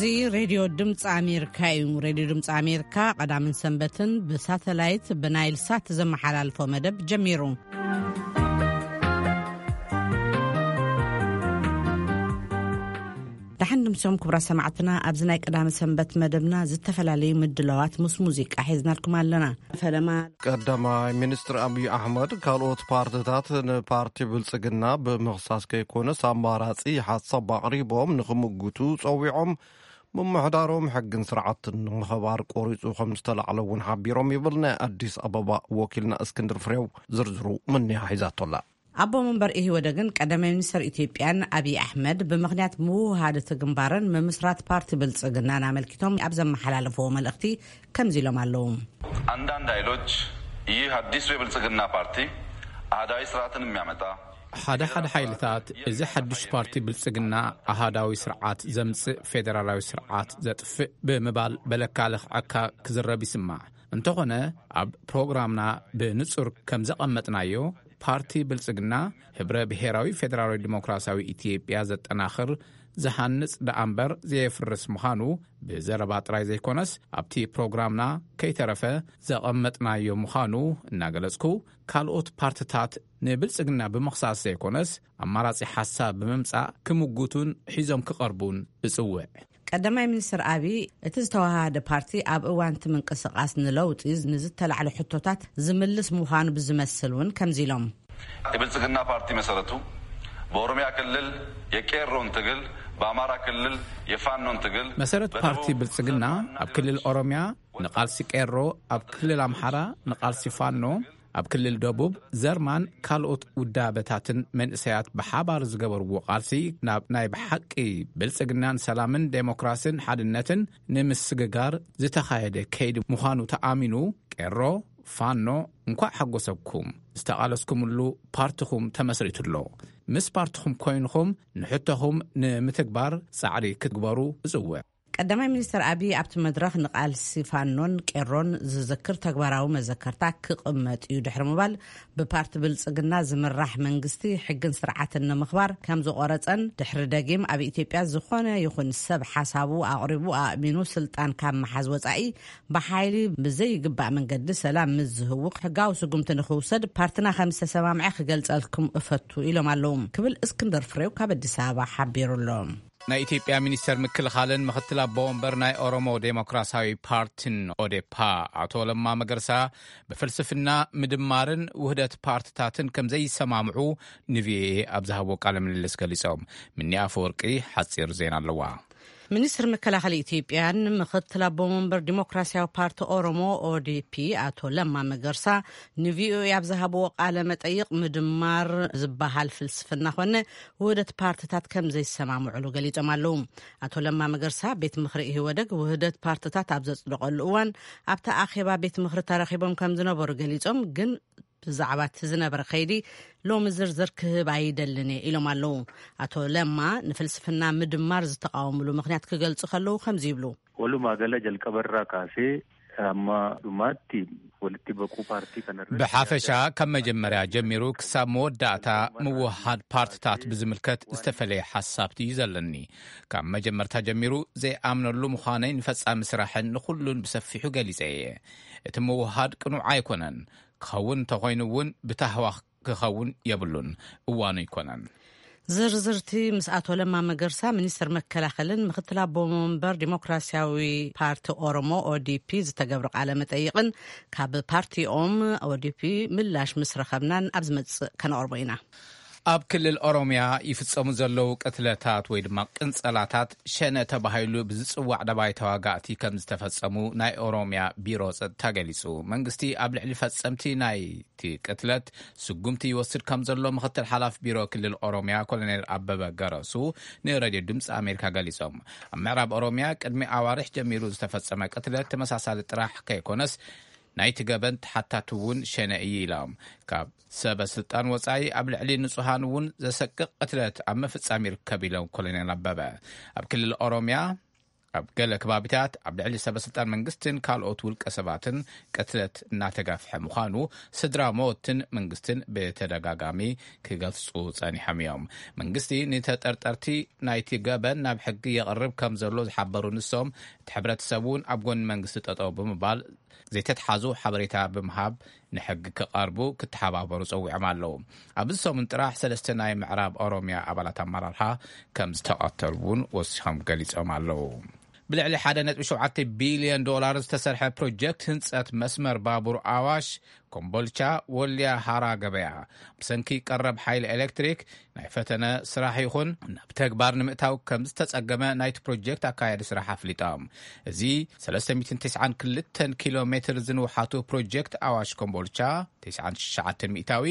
እዚ ሬድዮ ድምፂ ኣሜሪካ እዩ። ሬድዮ ድምፂ ኣሜሪካ ቀዳምን ሰንበትን ብሳተላይት ብናይል ሳት ዘመሓላልፎ መደብ ጀሚሩ። ደሓን ድምሶም ክቡራት ሰማዕትና፣ ኣብዚ ናይ ቀዳመ ሰንበት መደብና ዝተፈላለዩ ምድላዋት ምስ ሙዚቃ ሒዝናልኩም ኣለና። ፈለማ ቀዳማይ ሚኒስትር ኣብይ ኣሕመድ ካልኦት ፓርትታት ንፓርቲ ብልጽግና ብምኽሳስ ከይኮነስ ኣማራጺ ሓሳብ ኣቕሪቦም ንኽምጉቱ ጸዊዖም፣ ምምሕዳሮም ሕግን ስርዓትን ንምኽባር ቆሪጹ ከም ዝተላዕለ እውን ሓቢሮም ይብል ናይ ኣዲስ ኣበባ ወኪልና እስክንድር ፍሬው። ዝርዝሩ ምንያ ሒዛቶላ። ኣቦ መንበር ኢህወደግን ቀዳማይ ሚኒስትር ኢትዮጵያን ኣብይ ኣሕመድ ብምኽንያት ምውሃድ እቲ ግንባርን ምምስራት ፓርቲ ብልጽግናን ኣመልኪቶም ኣብ ዘመሓላለፍዎ መልእኽቲ ከምዚ ኢሎም ኣለዉ። አንዳንድ ኃይሎች ይህ አዲሱ የብልጽግና ፓርቲ አህዳዊ ስርዓትን የሚያመጣ ሓደ ሓደ ሓይልታት እዚ ሓድሽ ፓርቲ ብልጽግና ኣሃዳዊ ስርዓት ዘምጽእ ፌደራላዊ ስርዓት ዘጥፍእ ብምባል በለካ ለኽዐካ ክዝረብ ይስማዕ። እንተኾነ ኣብ ፕሮግራምና ብንጹር ከም ዘቐመጥናዮ ፓርቲ ብልጽግና ህብረ ብሔራዊ ፌደራላዊ ዲሞክራሲያዊ ኢትዮጵያ ዘጠናኽር ዝሃንጽ ደኣ እምበር ዘየፍርስ ምዃኑ ብዘረባ ጥራይ ዘይኮነስ ኣብቲ ፕሮግራምና ከይተረፈ ዘቐመጥናዮ ምዃኑ እናገለጽኩ ካልኦት ፓርትታት ንብልጽግና ብምኽሳስ ዘይኮነስ ኣማራጺ ሓሳብ ብምምጻእ ክምጉቱን ሒዞም ክቐርቡን እጽውዕ። ቀዳማይ ሚኒስትር ኣብይ እቲ ዝተወሃሃደ ፓርቲ ኣብ እዋን እቲ ምንቅስቃስ ንለውጢ ንዝተላዕሉ ሕቶታት ዝምልስ ምዃኑ ብዝመስል እውን ከምዚ ኢሎም። የብልጽግና ፓርቲ መሰረቱ በኦሮሚያ ክልል የቄሮን ትግል፣ በአማራ ክልል የፋኖን ትግል፣ መሰረት ፓርቲ ብልጽግና ኣብ ክልል ኦሮሚያ ንቓልሲ ቄሮ፣ ኣብ ክልል ኣምሓራ ንቓልሲ ፋኖ፣ ኣብ ክልል ደቡብ ዘርማን ካልኦት ውዳበታትን መንእሰያት ብሓባር ዝገበርዎ ቃልሲ ናብ ናይ ብሓቂ ብልጽግናን ሰላምን ዴሞክራስን ሓድነትን ንምስግጋር ዝተኻየደ ከይዲ ምዃኑ ተኣሚኑ፣ ቄሮ፣ ፋኖ፣ እንኳዕ ሓጎሰኩም፣ ዝተቓለስኩምሉ ፓርትኹም ተመስሪቱ ኣሎ። ምስ ፓርትኹም ኮይንኹም ንሕቶኹም ንምትግባር ጻዕሪ ክትግበሩ እጽውዕ። ቀዳማይ ሚኒስትር ኣብይ ኣብቲ መድረኽ ንቃልሲ ፋኖን ቄሮን ዝዝክር ተግባራዊ መዘከርታ ክቕመጥ እዩ ድሕሪ ምባል፣ ብፓርቲ ብልጽግና ዝምራሕ መንግስቲ ሕግን ስርዓትን ንምኽባር ከም ዝቖረጸን ድሕሪ ደጊም ኣብ ኢትዮጵያ ዝኾነ ይኹን ሰብ ሓሳቡ ኣቕሪቡ ኣእሚኑ ስልጣን ካብ ምሓዝ ወጻኢ ብሓይሊ ብዘይግባእ መንገዲ ሰላም ምስ ዝህውኽ ሕጋዊ ስጉምቲ ንኽውሰድ ፓርትና ከም ዝተሰማምዐ ክገልጸልኩም እፈቱ ኢሎም ኣለዉ ክብል እስክንድር ፍሬው ካብ ኣዲስ ኣበባ ሓቢሩ ኣሎ። ናይ ኢትዮጵያ ሚኒስተር ምክልኻልን ምኽትል ኣቦ ወንበር ናይ ኦሮሞ ዴሞክራሲያዊ ፓርቲን ኦዴፓ ኣቶ ለማ መገርሳ ብፍልስፍና ምድማርን ውህደት ፓርትታትን ከም ዘይሰማምዑ ንቪኦኤ ኣብ ዝሃብዎ ቃለ ምልልስ ገሊጾም። ምኒ ኣፈወርቂ ሓጺር ዜና ኣለዋ። ሚኒስትር መከላኸሊ ኢትዮጵያን ምኽትል ኣቦ መንበር ዲሞክራሲያዊ ፓርቲ ኦሮሞ ኦዲፒ ኣቶ ለማ መገርሳ ንቪኦኤ ኣብ ዝሃብዎ ቃለ መጠይቕ ምድማር ዝበሃል ፍልስፍና ኮነ ውህደት ፓርትታት ከም ዘይሰማምዑሉ ገሊጾም ኣለዉ። ኣቶ ለማ መገርሳ ቤት ምኽሪ ኢህወደግ ውህደት ፓርትታት ኣብ ዘጽደቐሉ እዋን ኣብቲ ኣኼባ ቤት ምኽሪ ተረኺቦም ከም ዝነበሩ ገሊጾም፣ ግን ብዛዕባ እቲ ዝነበረ ከይዲ ሎሚ ዝርዝር ክህብ ኣይደልን እየ ኢሎም ኣለዉ። ኣቶ ለማ ንፍልስፍና ምድማር ዝተቃወምሉ ምኽንያት ክገልጹ ከለዉ ከምዚ ይብሉ። ወሉማ ገለ ጀልቀበራ ካሴ ኣማ ዱማቲ ወልቲ በቁ ፓርቲ ከነረ ብሓፈሻ ካብ መጀመርያ ጀሚሩ ክሳብ መወዳእታ ምውሃድ ፓርትታት ብዝምልከት ዝተፈለየ ሓሳብቲ እዩ ዘለኒ። ካብ መጀመርታ ጀሚሩ ዘይኣምነሉ ምዃነይ ንፈጻሚ ስራሕን ንኹሉን ብሰፊሑ ገሊጸ እየ። እቲ ምውሃድ ቅኑዕ ኣይኮነን። ክኸውን እንተኾይኑ እውን ብታህዋኽ ክኸውን የብሉን። እዋኑ ኣይኮነን። ዝርዝርቲ ምስ ኣቶ ለማ መገርሳ ሚኒስትር መከላኸልን ምኽትል ኣቦ መንበር ዲሞክራሲያዊ ፓርቲ ኦሮሞ ኦዲፒ ዝተገብረ ቃለ መጠይቕን ካብ ፓርቲኦም ኦዲፒ ምላሽ ምስ ረኸብናን ኣብ ዝመጽእ ከነቕርቦ ኢና። ኣብ ክልል ኦሮምያ ይፍጸሙ ዘለዉ ቅትለታት ወይ ድማ ቅንጸላታት ሸነ ተባሂሉ ብዝጽዋዕ ደባይ ተዋጋእቲ ከም ዝተፈጸሙ ናይ ኦሮምያ ቢሮ ጸጥታ ገሊጹ። መንግስቲ ኣብ ልዕሊ ፈጸምቲ ናይቲ ቅትለት ስጉምቲ ይወስድ ከም ዘሎ ምኽትል ሓላፊ ቢሮ ክልል ኦሮምያ ኮሎኔል ኣበበ ገረሱ ንሬድዮ ድምፂ ኣሜሪካ ገሊጾም። ኣብ ምዕራብ ኦሮምያ ቅድሚ ኣዋርሕ ጀሚሩ ዝተፈጸመ ቅትለት ተመሳሳሊ ጥራሕ ከይኮነስ ናይቲ ገበን ተሓታቲ እውን ሸነ እዩ ኢሎም። ካብ ሰበ ስልጣን ወጻኢ ኣብ ልዕሊ ንጹሃን እውን ዘሰቅቕ ቅትለት ኣብ ምፍጻም ይርከብ ኢሎም ኮሎኔል ኣበበ። ኣብ ክልል ኦሮምያ ኣብ ገለ ከባቢታት ኣብ ልዕሊ ሰበስልጣን መንግስትን ካልኦት ውልቀ ሰባትን ቅትለት እናተጋፍሐ ምዃኑ ስድራ ሞትን መንግስትን ብተደጋጋሚ ክገልጹ ጸኒሖም እዮም። መንግስቲ ንተጠርጠርቲ ናይቲ ገበን ናብ ሕጊ የቕርብ ከም ዘሎ ዝሓበሩ ንሶም፣ እቲ ሕብረተሰብ እውን ኣብ ጎኒ መንግስቲ ጠጠው ብምባል ዘይተትሓዙ ሓበሬታ ብምሃብ ንሕጊ ክቐርቡ ክተሓባበሩ ጸዊዖም ኣለዉ። ኣብዚ ሰሙን ጥራሕ ሰለስተ ናይ ምዕራብ ኦሮሚያ ኣባላት ኣመራርሓ ከም ዝተቐተሉ እውን ወሲኾም ገሊጾም ኣለዉ። ብልዕሊ ሓደ ነጥቢ ሸውዓተ ቢልዮን ዶላር ዝተሰርሐ ፕሮጀክት ህንጸት መስመር ባቡር ኣዋሽ ኮምቦልቻ ወልያ ሃራ ገበያ፣ ብሰንኪ ቀረብ ሓይሊ ኤሌክትሪክ ናይ ፈተነ ስራሕ ይኹን ናብ ተግባር ንምእታው ከም ዝተጸገመ ናይቲ ፕሮጀክት ኣካያዲ ስራሕ ኣፍሊጦም። እዚ ሰለስተ ሚእትን ተስዓን ክልተን ኪሎ ሜትር ዝንውሓቱ ፕሮጀክት ኣዋሽ ኮምቦልቻ ተስዓን ትሽዓተን ሚእታዊ፣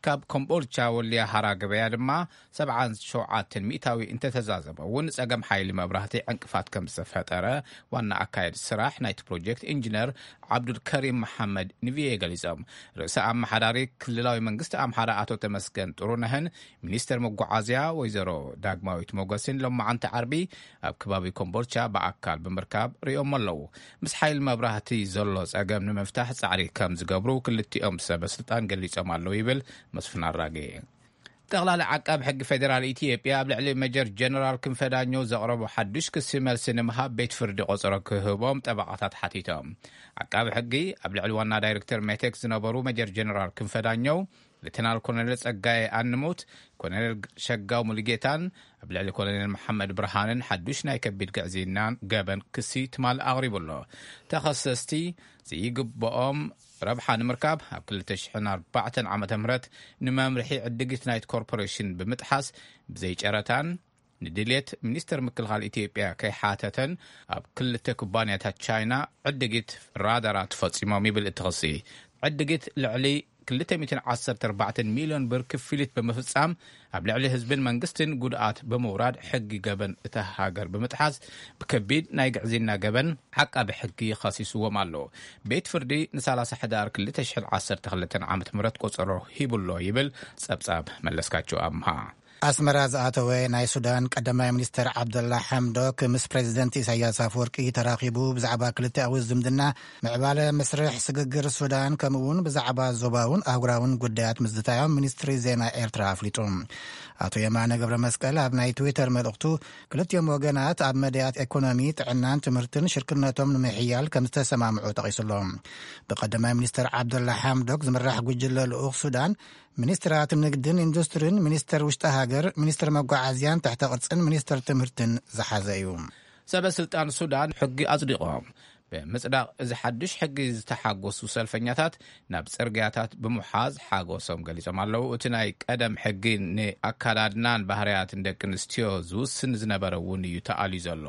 ካብ ኮምቦልቻ ወልያ ሃራ ገበያ ድማ ሰብዓን ሸውዓተን ሚእታዊ እንተተዛዘመ እውን፣ ጸገም ሓይሊ መብራህቲ ዕንቅፋት ከም ዝተፈጠረ ዋና ኣካየዲ ስራሕ ናይቲ ፕሮጀክት ኢንጂነር ዓብዱልከሪም መሓመድ ንቪኦኤ ገሊጾም። ርእሰ ኣመሓዳሪ ክልላዊ መንግስቲ ኣምሓራ ኣቶ ተመስገን ጥሩነህን ሚኒስተር መጓዓዝያ ወይዘሮ ዳግማዊት ሞገስን ሎማዓንቲ ዓርቢ ኣብ ከባቢ ኮምቦልቻ ብኣካል ብምርካብ ርእዮም ኣለዉ። ምስ ሓይሊ መብራህቲ ዘሎ ጸገም ንምፍታሕ ጻዕሪ ከም ዝገብሩ ክልቲኦም ሰበ ስልጣን ገሊጾም ኣለዉ ይብል መስፍን ኣራጌ። ጠቕላሊ ዓቃቢ ሕጊ ፌዴራል ኢትዮጵያ ኣብ ልዕሊ ሜጀር ጀነራል ክንፈ ዳኘው ዘቕረቦ ሓዱሽ ክሲ መልሲ ንምሃብ ቤት ፍርዲ ቆጸሮ ክህቦም ጠበቓታት ሓቲቶም። ዓቃቢ ሕጊ ኣብ ልዕሊ ዋና ዳይሬክተር ሜቴክ ዝነበሩ ሜጀር ጀነራል ክንፈ ዳኘው፣ ሌተናል ኮሎኔል ጸጋዬ ኣንሙት፣ ኮሎኔል ሸጋው ሙሉጌታን ኣብ ልዕሊ ኮሎኔል መሓመድ ብርሃንን ሓዱሽ ናይ ከቢድ ግዕዝይናን ገበን ክሲ ትማል ኣቕሪቡ ኣሎ። ተኸሰስቲ ዘይግብኦም ረብሓ ንምርካብ ኣብ ክልተ ሽሕን ኣርባዕተን ዓመተ ምህረት ንመምርሒ ዕድጊት ናይቲ ኮርፖሬሽን ብምጥሓስ ብዘይጨረታን ንድልየት ሚኒስተር ምክልኻል ኢትዮጵያ ከይሓተተን ኣብ ክልተ ኩባንያታት ቻይና ዕድጊት ራዳራት ፈጺሞም ይብል እቲ ክሲ። ዕድጊት ልዕሊ ክልተ ሚእትን ዓሰርተ ኣርባዕተን ሚልዮን ብር ክፍሊት ብምፍጻም ኣብ ልዕሊ ህዝብን መንግስትን ጉድኣት ብምውራድ ሕጊ ገበን እታ ሃገር ብምጥሓስ ብከቢድ ናይ ግዕዝይና ገበን ዓቃቢ ሕጊ ከሲስዎም ኣሎ። ቤት ፍርዲ ንሳላሳ ሕዳር ክልተ ሽሕን ዓሰርተ ክልተን ዓመተ ምህረት ቆጸሮ ሂቡሎ ይብል ጸብጻብ መለስካቸው ኣምሃ። ኣስመራ ዝኣተወ ናይ ሱዳን ቀዳማይ ሚኒስተር ዓብደላ ሓምዶክ ምስ ፕሬዚደንት ኢሳያስ ኣፈወርቂ ተራኺቡ ብዛዕባ ክልተኣዊ ዝምድና፣ ምዕባለ መስርሕ ስግግር ሱዳን፣ ከምኡ'ውን ብዛዕባ ዞባውን ኣህጉራውን ጉዳያት ምዝታዮም ሚኒስትሪ ዜና ኤርትራ ኣፍሊጡ። ኣቶ የማነ ገብረ መስቀል ኣብ ናይ ትዊተር መልእኽቱ፣ ክልቲኦም ወገናት ኣብ መዳያት ኤኮኖሚ፣ ጥዕናን ትምህርትን ሽርክነቶም ንምሕያል ከም ዝተሰማምዑ ጠቒሱሎ። ብቀዳማይ ሚኒስተር ዓብደላ ሓምዶክ ዝምራሕ ጉጅለ ልኡኽ ሱዳን፣ ሚኒስትራት ንግድን ኢንዱስትሪን፣ ሚኒስተር ውሽጢ ሃገር፣ ሚኒስተር መጓዓዝያን ትሕተ ቅርጽን ሚኒስተር ትምህርትን ዝሓዘ እዩ። ሰበ ስልጣን ሱዳን ሕጊ ኣጽዲቖም። ብምጽዳቕ እዚ ሓድሽ ሕጊ ዝተሓጎሱ ሰልፈኛታት ናብ ጽርግያታት ብምሓዝ ሓጎሶም ገሊጾም ኣለዉ። እቲ ናይ ቀደም ሕጊ ንኣካዳድናን ባህርያትን ደቂ ኣንስትዮ ዝውስን ዝነበረ እውን እዩ ተኣልዩ ዘሎ።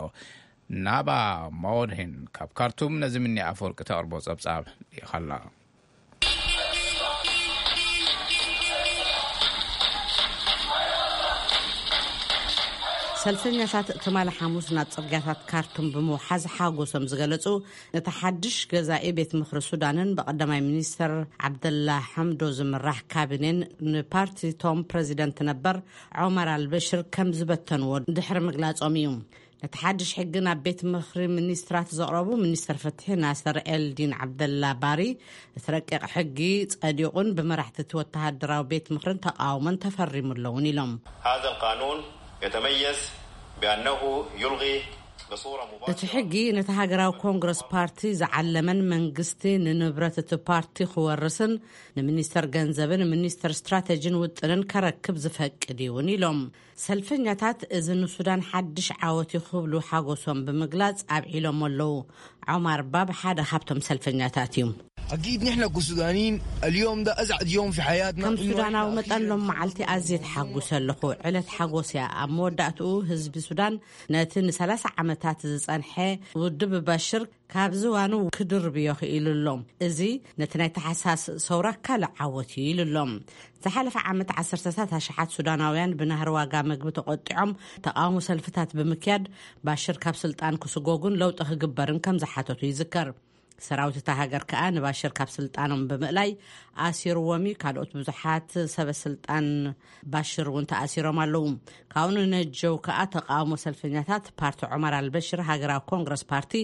ናባ ማወድሂን ካብ ካርቱም ነዚ ምኒ ኣፈወርቂ ተቕርቦ ጸብጻብ ልኢኻላ። ሰልፈኛታት ትማሊ ሓሙስ ናብ ጽርግያታት ካርቱም ብምውሓዝ ሓጎሶም ዝገለጹ፣ ነቲ ሓድሽ ገዛኢ ቤት ምኽሪ ሱዳንን ብቐዳማይ ሚኒስተር ዓብደላ ሓምዶ ዝምራሕ ካቢኔን ንፓርቲ ቶም ፕረዚደንት ነበር ዖመር ኣልበሽር ከም ዝበተንዎ ድሕሪ ምግላጾም እዩ። ነቲ ሓድሽ ሕጊ ናብ ቤት ምኽሪ ሚኒስትራት ዘቕረቡ ሚኒስተር ፍትሒ ናስር ኤልዲን ዓብደላ ባሪ፣ እቲ ረቂቕ ሕጊ ጸዲቑን ብመራሕቲ እቲ ወተሃደራዊ ቤት ምኽርን ተቓውሞን ተፈሪሙ ኣለውን ኢሎም። هذا القانون يتميز بأنه يلغي بصورة እቲ ሕጊ ነቲ ሃገራዊ ኮንግረስ ፓርቲ ዝዓለመን መንግስቲ ንንብረት እቲ ፓርቲ ክወርስን ንሚኒስተር ገንዘብን ሚኒስተር ስትራተጂን ውጥንን ከረክብ ዝፈቅድ እዩውን ኢሎም። ሰልፈኛታት እዚ ንሱዳን ሓድሽ ዓወት እዩ ክብሉ ሓጎሶም ብምግላጽ ኣብዒሎም ኣለዉ። ዖማር ባብ ሓደ ካብቶም ሰልፈኛታት እዩ። أكيد نحن كسودانيين اليوم ده أسعد يوم في حياتنا. ከም ሱዳናዊ መጠን ሎም መዓልቲ ኣዝየ ተሓጉሰ ኣለኹ። ዕለት ሓጎስ እያ። ኣብ መወዳእትኡ ህዝቢ ሱዳን ነቲ ንሰላሳ ዓመታት ዝጸንሐ ውድብ ባሽር ካብ ዝባኑ ክድርብዮ ክኢሉ ኣሎ። እዚ ነቲ ናይ ተሓሳስ ሰውራ ካልእ ዓወት እዩ ኢሉ ኣሎ። ዝሓለፈ ዓመት ዓሰርተታት ኣሽሓት ሱዳናውያን ብናህሪ ዋጋ መግቢ ተቖጢዖም ተቓውሞ ሰልፍታት ብምክያድ ባሽር ካብ ስልጣን ክስጎጉን ለውጢ ክግበርን ከም ዝሓተቱ ይዝከር። ሰራዊት እታ ሃገር ከኣ ንባሽር ካብ ስልጣኖም ብምእላይ ኣሲርዎም እዩ። ካልኦት ብዙሓት ሰበ ስልጣን ባሽር እውን ተኣሲሮም ኣለዉ። ካብኡ ንነጀው ከኣ ተቃውሞ ሰልፈኛታት ፓርቲ ዑመር ኣልበሽር ሃገራዊ ኮንግረስ ፓርቲ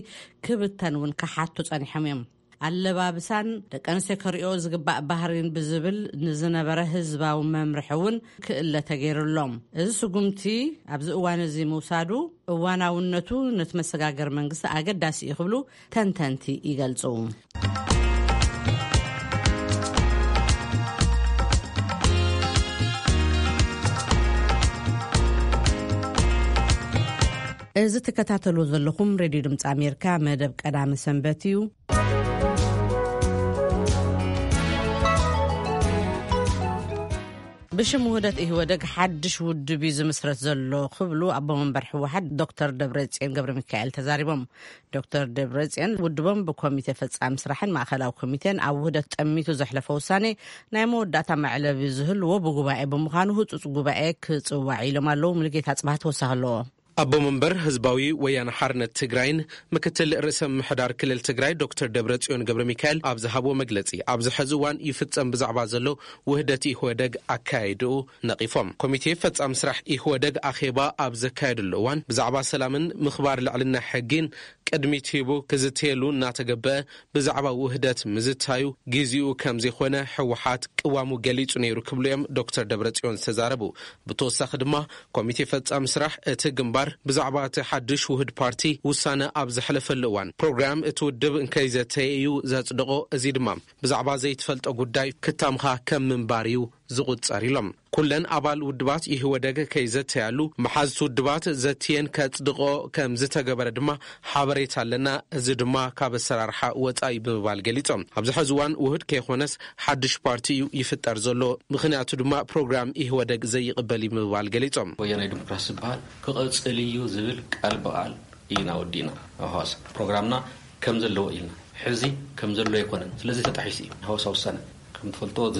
ክብተን እውን ክሓቱ ጸኒሖም እዮም። ኣለባብሳን ደቂ ኣንስትዮ ከርእዮ ዝግባእ ባህሪን ብዝብል ንዝነበረ ህዝባዊ መምርሒ እውን ክእለ ተገይሩሎም። እዚ ስጉምቲ ኣብዚ እዋን እዚ ምውሳዱ እዋናውነቱ ነቲ መሰጋገር መንግስቲ ኣገዳሲ እዩ ክብሉ ተንተንቲ ይገልጹ። እዚ ትከታተሉ ዘለኹም ሬድዮ ድምፂ ኣሜሪካ መደብ ቀዳሚ ሰንበት እዩ። ብሽም ውህደት ኢህወደግ ሓድሽ ውድብ እዩ ዝምስረት ዘሎ ክብሉ ኣቦ መንበር ህወሓት ዶክተር ደብረጽዮን ገብረ ሚካኤል ተዛሪቦም። ዶክተር ደብረጽዮን ውድቦም ብኮሚቴ ፈጻሚ ስራሕን ማእኸላዊ ኮሚቴን ኣብ ውህደት ጠሚቱ ዘሕለፈ ውሳኔ ናይ መወዳእታ መዕለቢ ዝህልዎ ብጉባኤ ብምዃኑ ህጹጽ ጉባኤ ክጽዋዕ ኢሎም ኣለዉ። ሙሉጌታ ጽባህ ተወሳኺ ኣለዎ። ኣቦ መንበር ህዝባዊ ወያነ ሓርነት ትግራይን ምክትል ርእሰ ምምሕዳር ክልል ትግራይ ዶክተር ደብረጽዮን ገብረ ሚካኤል ኣብ ዝሃብዎ መግለጺ፣ ኣብዚ ሕዚ እዋን ይፍጸም ብዛዕባ ዘሎ ውህደት ኢህወደግ ኣካያይድኡ ነቒፎም። ኮሚቴ ፈጻሚ ስራሕ ኢህወደግ ኣኼባ ኣብ ዘካየደሉ እዋን ብዛዕባ ሰላምን ምኽባር ልዕልና ሕጊን ቅድሚት ሂቡ ክዝተየሉ እናተገበአ ብዛዕባ ውህደት ምዝታዩ ግዜኡ ከም ዘይኮነ ህወሓት ቅዋሙ ገሊጹ ነይሩ ክብሉ እዮም ዶክተር ደብረጽዮን ዝተዛረቡ። ብተወሳኺ ድማ ኮሚቴ ፈጻሚ ስራሕ እቲ ግንባር ብዛዕባ እቲ ሓድሽ ውህድ ፓርቲ ውሳነ ኣብ ዘሕለፈሉ እዋን ፕሮግራም እቲ ውድብ እንከይዘተየ እዩ ዘጽድቖ። እዚ ድማ ብዛዕባ ዘይትፈልጦ ጉዳይ ክታምኻ ከም ምንባር እዩ ዝቑጸር ኢሎም። ኩለን ኣባል ውድባት ኢህወደግ ከይዘተያሉ መሓዝቲ ውድባት ዘትየን ከጽድቖ ከም ዝተገበረ ድማ ሓበሬታ ኣለና። እዚ ድማ ካብ ኣሰራርሓ ወጻኢ ብምባል ገሊጾም። ኣብዚ ሕዚ እዋን ውህድ ከይኾነስ ሓድሽ ፓርቲ እዩ ይፍጠር ዘሎ። ምኽንያቱ ድማ ፕሮግራም ኢህወደግ ዘይቕበል እዩ ብምባል ገሊጾም። ወያናይ ዲሞክራሲ ዝበሃል ክቐጽል እዩ ዝብል ቃል ብቓል ኢና ወዲእና። ኣብ ሃዋሳ ፕሮግራምና ከም ዘለዎ ኢልና። ሕዚ ከም ዘሎ ኣይኮነን። ስለዚ ተጣሒሱ እዩ ሃዋሳ ውሳነ። ከም ትፈልጦ፣ እዚ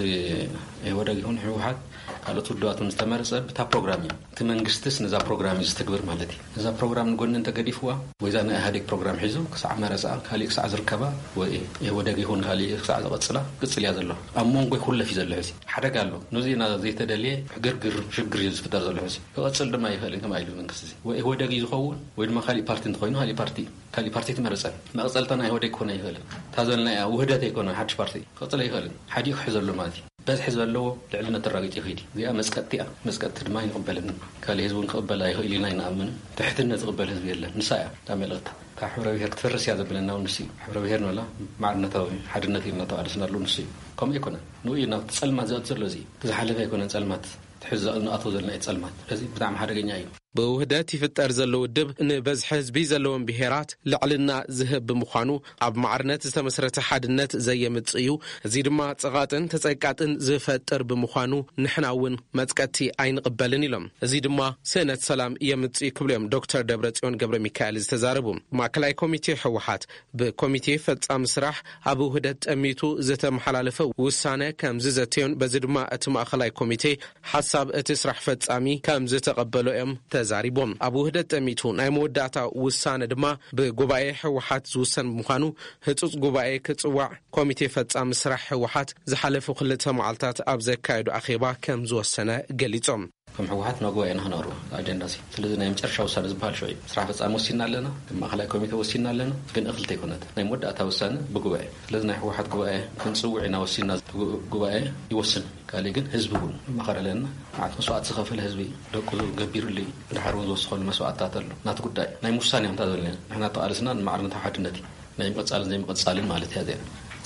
ኢህወደግ ይኹን ህወሓት ካልኦት ውድባት ምስ ተመረጸ ብታ ፕሮግራም እዩ። እቲ መንግስትስ ነዛ ፕሮግራም እዩ ዝትግብር ማለት እዩ። እዛ ፕሮግራም ንጎኒ እንተገዲፍዋ ወይ እዛ ናይ ኢህኣዴግ ፕሮግራም ሒዙ ክሳዕ መረጻ ካሊእ ክሳዕ ዝርከባ ወይ ኢህወደግ ይኹን ካሊእ ክሳዕ ዝቐጽላ ቅጽል እያ ዘሎ። ኣብ መንጎ ይኹለፍ እዩ ዘሎ። ሕዚ ሓደጋ ኣሎ። ነዚ ኢና ዘይተደልየ ግርግር ሽግር እዩ ዝፍጠር ዘሎ። ሕዚ ክቐጽል ድማ ይኽእል እዩ። ከማይ ኢሉ መንግስቲ እዚ ወይ ኢህወደግ እዩ ዝኸውን ወይ ድማ ካሊእ ፓርቲ እንተኾይኑ ካሊእ ፓርቲ ካሊእ ፓርቲ ትመረጸን። መቕጸልታ ናይ ኢህወዴግ ክኾነ ኣይኽእልን። እታ ዘልና እያ ውህደት ኣይኮነ ሓድሽ ፓርቲ ክቕጽል ኣይኽእልን። ሓዲኡ ክሕዘሉ ማለት እዩ። በዝሒ ዘለዎ ልዕልነት ተራጊጡ ይኸይድ እዩ። እዚኣ መጽቀጥቲ እያ። መጽቀጥቲ ድማ ኣይንቕበልን። ካልእ ህዝቢ እውን ክቕበል ኣይኽእል ኢና ኣይንኣምንን። ትሕትነት ዝቕበል ህዝቢ የለን። ንሳ እያ እታ መልእኽታ። እታ ሕብረ ብሔር ክትፈርስ እያ ዘብለና እውን ንሱ እዩ። ሕብረ ብሔር ንበላ ማዕርነታዊ ሓድነት ኢልና ተቓለስናሉ ንሱ እዩ። ከምኡ ኣይኮነን። ንኡ እዩ ናብቲ ጸልማት ዝኣቱ ዘሎ። እዚ እዩ። እቲ ዝሓለፈ ኣይኮነን ጸልማት። ትሕዚ ንኣቶ ዘለና እዩ ጸልማት። ስለዚ ብጣዕሚ ሓደገኛ እዩ። ብውህደት ይፍጠር ዘሎ ውድብ ንበዝሒ ህዝቢ ዘለዎም ብሄራት ልዕልና ዝህብ ብምዃኑ ኣብ ማዕርነት ዝተመስረተ ሓድነት ዘየምጽእ እዩ። እዚ ድማ ጸቓጥን ተጸቃጥን ዝፈጥር ብምዃኑ ንሕና እውን መጽቀቲ ኣይንቕበልን ኢሎም። እዚ ድማ ስእነት ሰላም የምጽእ ክብሉ እዮም ዶክተር ደብረጽዮን ገብረ ሚካኤል ዝተዛረቡ። ማእከላይ ኮሚቴ ህወሓት ብኮሚቴ ፈጻሚ ስራሕ ኣብ ውህደት ጠሚቱ ዝተመሓላለፈ ውሳነ ከም ዝዘተዮን በዚ ድማ እቲ ማእከላይ ኮሚቴ ሓሳብ እቲ ስራሕ ፈጻሚ ከም ዝተቐበሎ እዮም ተዛሪቦም። ኣብ ውህደት ጠሚቱ ናይ መወዳእታ ውሳነ ድማ ብጉባኤ ህወሓት ዝውሰን ብምዃኑ ህጹጽ ጉባኤ ክጽዋዕ ኮሚቴ ፈጻሚ ስራሕ ህወሓት ዝሓለፉ ክልተ መዓልታት ኣብ ዘካየዱ ኣኼባ ከም ዝወሰነ ገሊጾም። ከም ህወሓት ናብ ጉባኤ ኢና ክነቕርቦ ኣጀንዳ እዚ። ስለዚ ናይ መጨረሻ ውሳነ ዝበሃል ሽዑ እዩ። ስራሕ ፈጻሚ ወሲና ኣለና፣ ከም ማእከላይ ኮሚቴ ወሲና ኣለና፣ ግን እኽልቲ ኣይኮነት። ናይ መወዳእታ ውሳነ ብጉባኤ። ስለዚ ናይ ህወሓት ጉባኤ ክንጽውዕ ኢና ወሲና፣ ጉ-፣ ጉባኤ ይወስን። ካልእ ግን ህዝቢ እውን መኸረ ኣለና። መዓት መስዋዕቲ ዝኸፈለ ህዝቢ ደቁ ገቢሩሉ እዩ። ብድሓር እውን ዝወሰኸሉ መስዋዕትታት ኣሎ። ናቲ ጉዳይ ናይ ምውሳኔ ከምታ ዘለና ንሕና ተቓለስና ንማዕርነታዊ ሓድነት እዩ። ናይ ምቕጻልን ዘይምቕጻልን ማለት እያ እዚኣ።